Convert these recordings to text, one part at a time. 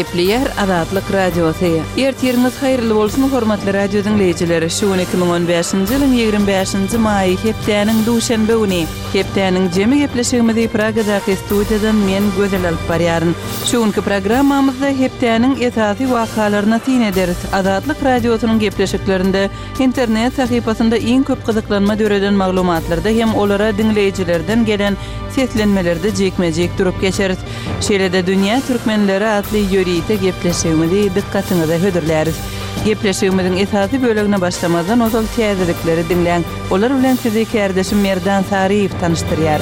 Gepleýär Azatlyk Radiosy. Ertiriňiz haýyrly bolsun hormatly radio diňleýjiler! Şu gün 2015-nji ýylyň 25-nji maýy hepdäniň duşenbe güni. Hepdäniň jemi gepleşigimizi Pragadaky studiýadan men Gözel alyp barýaryn. Şu günki programmamyzda hepdäniň esasy wakalaryna syn ederis. Azatlyk Radiosynyň gepleşiklerinde internet sahypasynda iň köp gyzyklanma döreden maglumatlarda hem olara diňleýjilerden gelen seslenmelerde jikme-jik durup geçeris. Şeýle-de Dünýä türkmenleri atly ýörite gepleşigimizi dykgatyňyza hödürläris. Gepleşigimiziň esasy bölegine başlamazdan ozal täzelikleri diňläň. Olar bilen sizi kärdeşim Merdan Saryýew tanyşdyrýar.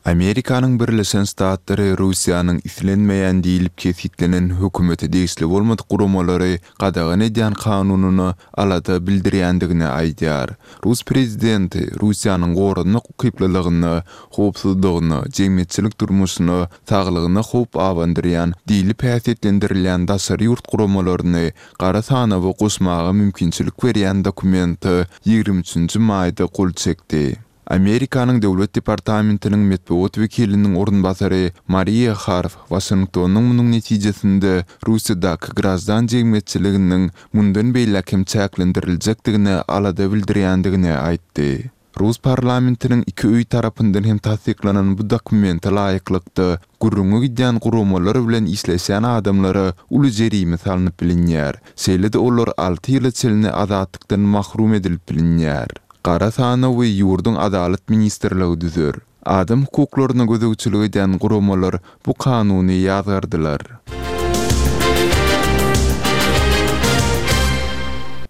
Amerikanyň Birleşen Ştatlary Russiýanyň islenmeýän diýlip kesgitlenen hökümete degişli bolmadyk guramalary gadagan edýän kanunyna alada bildirýändigini aýdýar. Rus prezidenti Russiýanyň goranmak ukyplylygyna, howpsuzlygyna, jemgyýetçilik durmuşyna, saglygyna howp abandyrýan diýlip häsiýetlendirilýän daşary ýurt guramalaryny gara sanawa goşmaga mümkinçilik berýän dokumente 23-nji maýda gol çekdi. Amerikanyň Döwlet departamentiniň metbugat wekiliniň orunbasary Mariýa Harf Waşingtonyň munuň netijesinde Russiýadaky graždan jemgyýetçiliginiň mundan beýläk hem çäklendiriljekdigine alada bildirýändigini aýtdy. Rus parlamentiniň iki öýi tarapyndan hem tassyklanan bu dokumente laýyklykda, gürrüňi gidýän guramalar bilen işleşýän adamlara uly jerime salnyp bilinýär, şeýle-de olar alty ýyla çenli azatlykdan mahrum edilip bilinýär. Gara sanawy ýurduň Adalat ministrligi düzer. Adam hukuklaryna gözegçilik edýän guramalar bu kanuny ýazgardylar.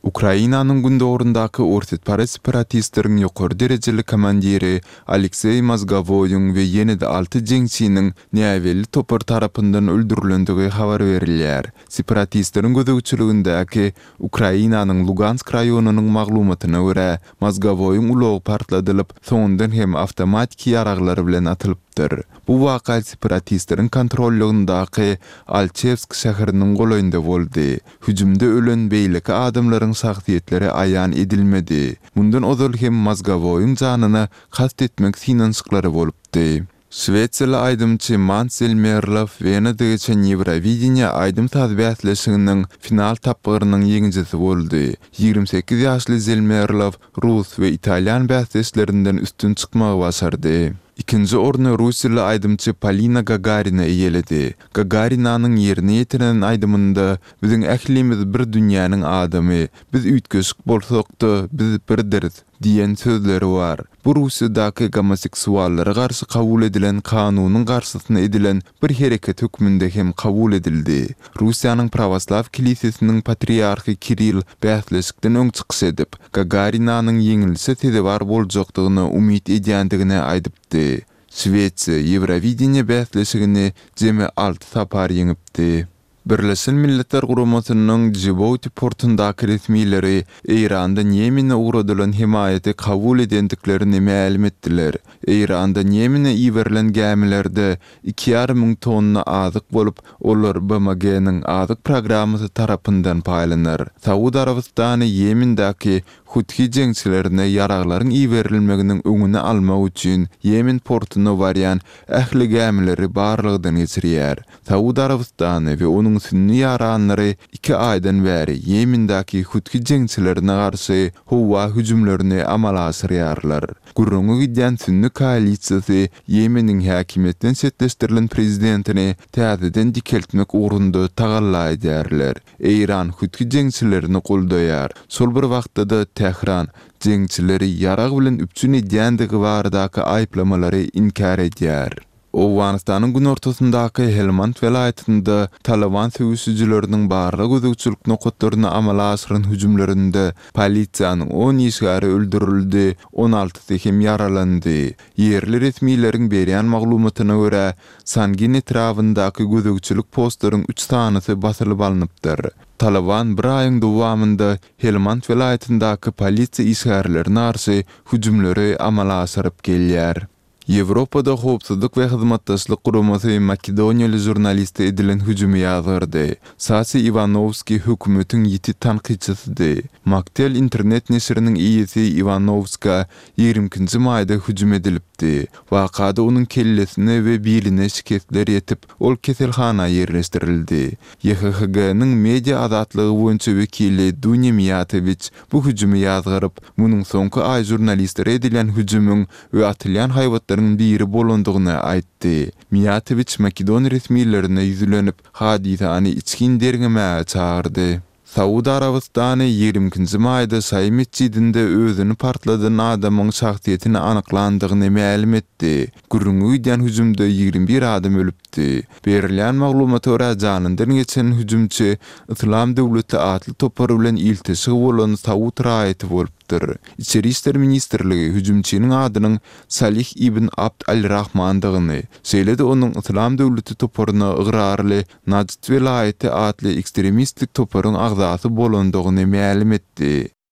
Ukrainanyň gündogaryndaky orsýetparaz separatistleriň ýokary derejeli komandiri Alekseý Mozgowoýyň we ýene-de alty jeňçiniň näbelli topar tarapyndan öldürilendigi habar berilýär. Separatistleriň gözegçiligindäki Ukrainanyň Lugansk raýonynyň maglumatyna görä, Mozgowoýyň ulagy partladylyp, soňundan hem awtomatiki ýaraglar bilen atylypdyr. Bu waka separatistleriň kontrollygyndaky Alçewsk şäheriniň golaýynda boldy. Hüjümde ölen beýleki adamlaryň şahsyýetleri aýan edilmedi. Mundan ozal hem Mozgowoýyň janyna kast etmek synanyşyklary bolupdy. Şwesiýaly aýdymçy Mans Zelmerlow Wenada geçen Ýewrowideniýe aýdym-saz bäsleşiginiň final tapgyrynyň ýeňijisi boldy. 28 ýaşly Zelmerlow rus we italýan bäsdeşlerinden üstün çykmagy başardy. Ikinji orny russiýaly aýdymçy Polina Gagarina eýeledi. Gagarinanyň ýerine ýetiren aýdymynda Biziň ählimiz bir dünýäniň adamy, biz üýtgeşik bolsak-da, biz birdiris diýen sözleri bar. Bu Russiýadaky gomoseksuallara garşy kabul edilen kanunyň garşysyna edilen bir hereket hökmünde hem kabul edildi. Russiýanyň Prawoslaw kilisesiniň patriarhy Kirill bäsleşikden öň çykyş edip, Gagarinanyň ýeňilişe sezewar boljakdygyna umyt edýändigini aýdypdy. Şwesiýa Ýewrowideniýe bäsleşigini jemi alty sapar ýeňipdi. Birleşen Milletler Guramasynyň Djibouti portundaky resmileri Eýrandan Ýemene ugradylan hemaýaty kabul edendiklerini mälim etdiler. Eýrandan Ýemene iberilen gämilerde iki ýarym müň tonna azyk bolup, olar BMG-niň Azyk programmasy tarapyndan paýlanar. Saud Arabystany Ýemendäki Huthi jeňçilerine ýaraglaryň iberilmeginiň öňüni almak üçin Ýemen portuna barýan ähli gämileri barlagdan geçirýär. Saud Arabystany we onuň sünni ýaranlary iki aýdan bäri Ýemendäki Huthi jeňçilerine garşy howa hüjümlerini amala aşyrýarlar. Gürrüňi gidýän sünni koalisiýasy Ýemeniň häkimiýetden çetleşdirilen prezidentini täzeden dikeltmek ugrunda tagalla edýärler. Eýran Huthi jeňçilerini goldaýar. Şol bir wagtda-da Tähran jeňçileri ýarag bilen üpjün edýändigi baradaky aýyplamalary inkär edýär. Owganystanyň günortasyndaky Helmand welaýatynda Talyban söweşijileriniň barlag-gözegçilik nokatlaryna amala aşyran hüjümlerinde polisiýanyň on işgäri öldürildi, on altysy hem ýaralandy. Ýerli resmileriň berýän maglumatyna görä, Sangin etrabyndaky gözegçilik postlaryň üç sanysy basylyp alnypdyr. Talyban bir aýyň dowamynda Helmand welaýatyndaky polisiýa işgärlerine garşy hüjümleri amala aşyryp gelýär. Ýewropada Howpsuzlyk we Hyzmatdaşlyk Guramasy makedoniýaly žurnaliste edilen hüjümi ýazgardy. Sase Iwanowski hökümetiň ýiti tankytçysydy. Maktel internet neşiriniň eýesi Iwanowskä 22-nji maýda hüjüm edilipdi. Wakada onuň kellesine we biline şikesler ýetip, ol keselhana ýerleşdirildi. YHHG-niň media azatlygy boýunça wekili Dunýa Miýatowiç bu hüjümi ýazgaryp, munuň soňky aý žurnalistlere edilýän hüjümiň we atylýan haýbatlaryň biri bolandygyny aýtdy. Miýatowiç makedon resmilerine ýüzlenip, hadysany içgin derňemäge çagyrdy. Saud Arabystany 22-nji maýda şaýy metjidinde özüni partladan adamyň şahsyýetini anyklandygyny mälim etdi. Gürrüňi gidýän hüjümde 21 adam ölüpdi. Berilýän maglumata görä, janyndan geçen hüjümçi Yslam döwleti atly topar bilen ilteşigi bolan saud raýaty bolupdyr. Içeri işler ministrligi hüjümçiniň adynyň Salih ibn Abd al-Rahmandygyny, şeýle-de onuň Yslam döwleti toparyna ygrarly Najd welaýaty atly ekstremistik toparyň agzasy bolandygyny mälim etdi.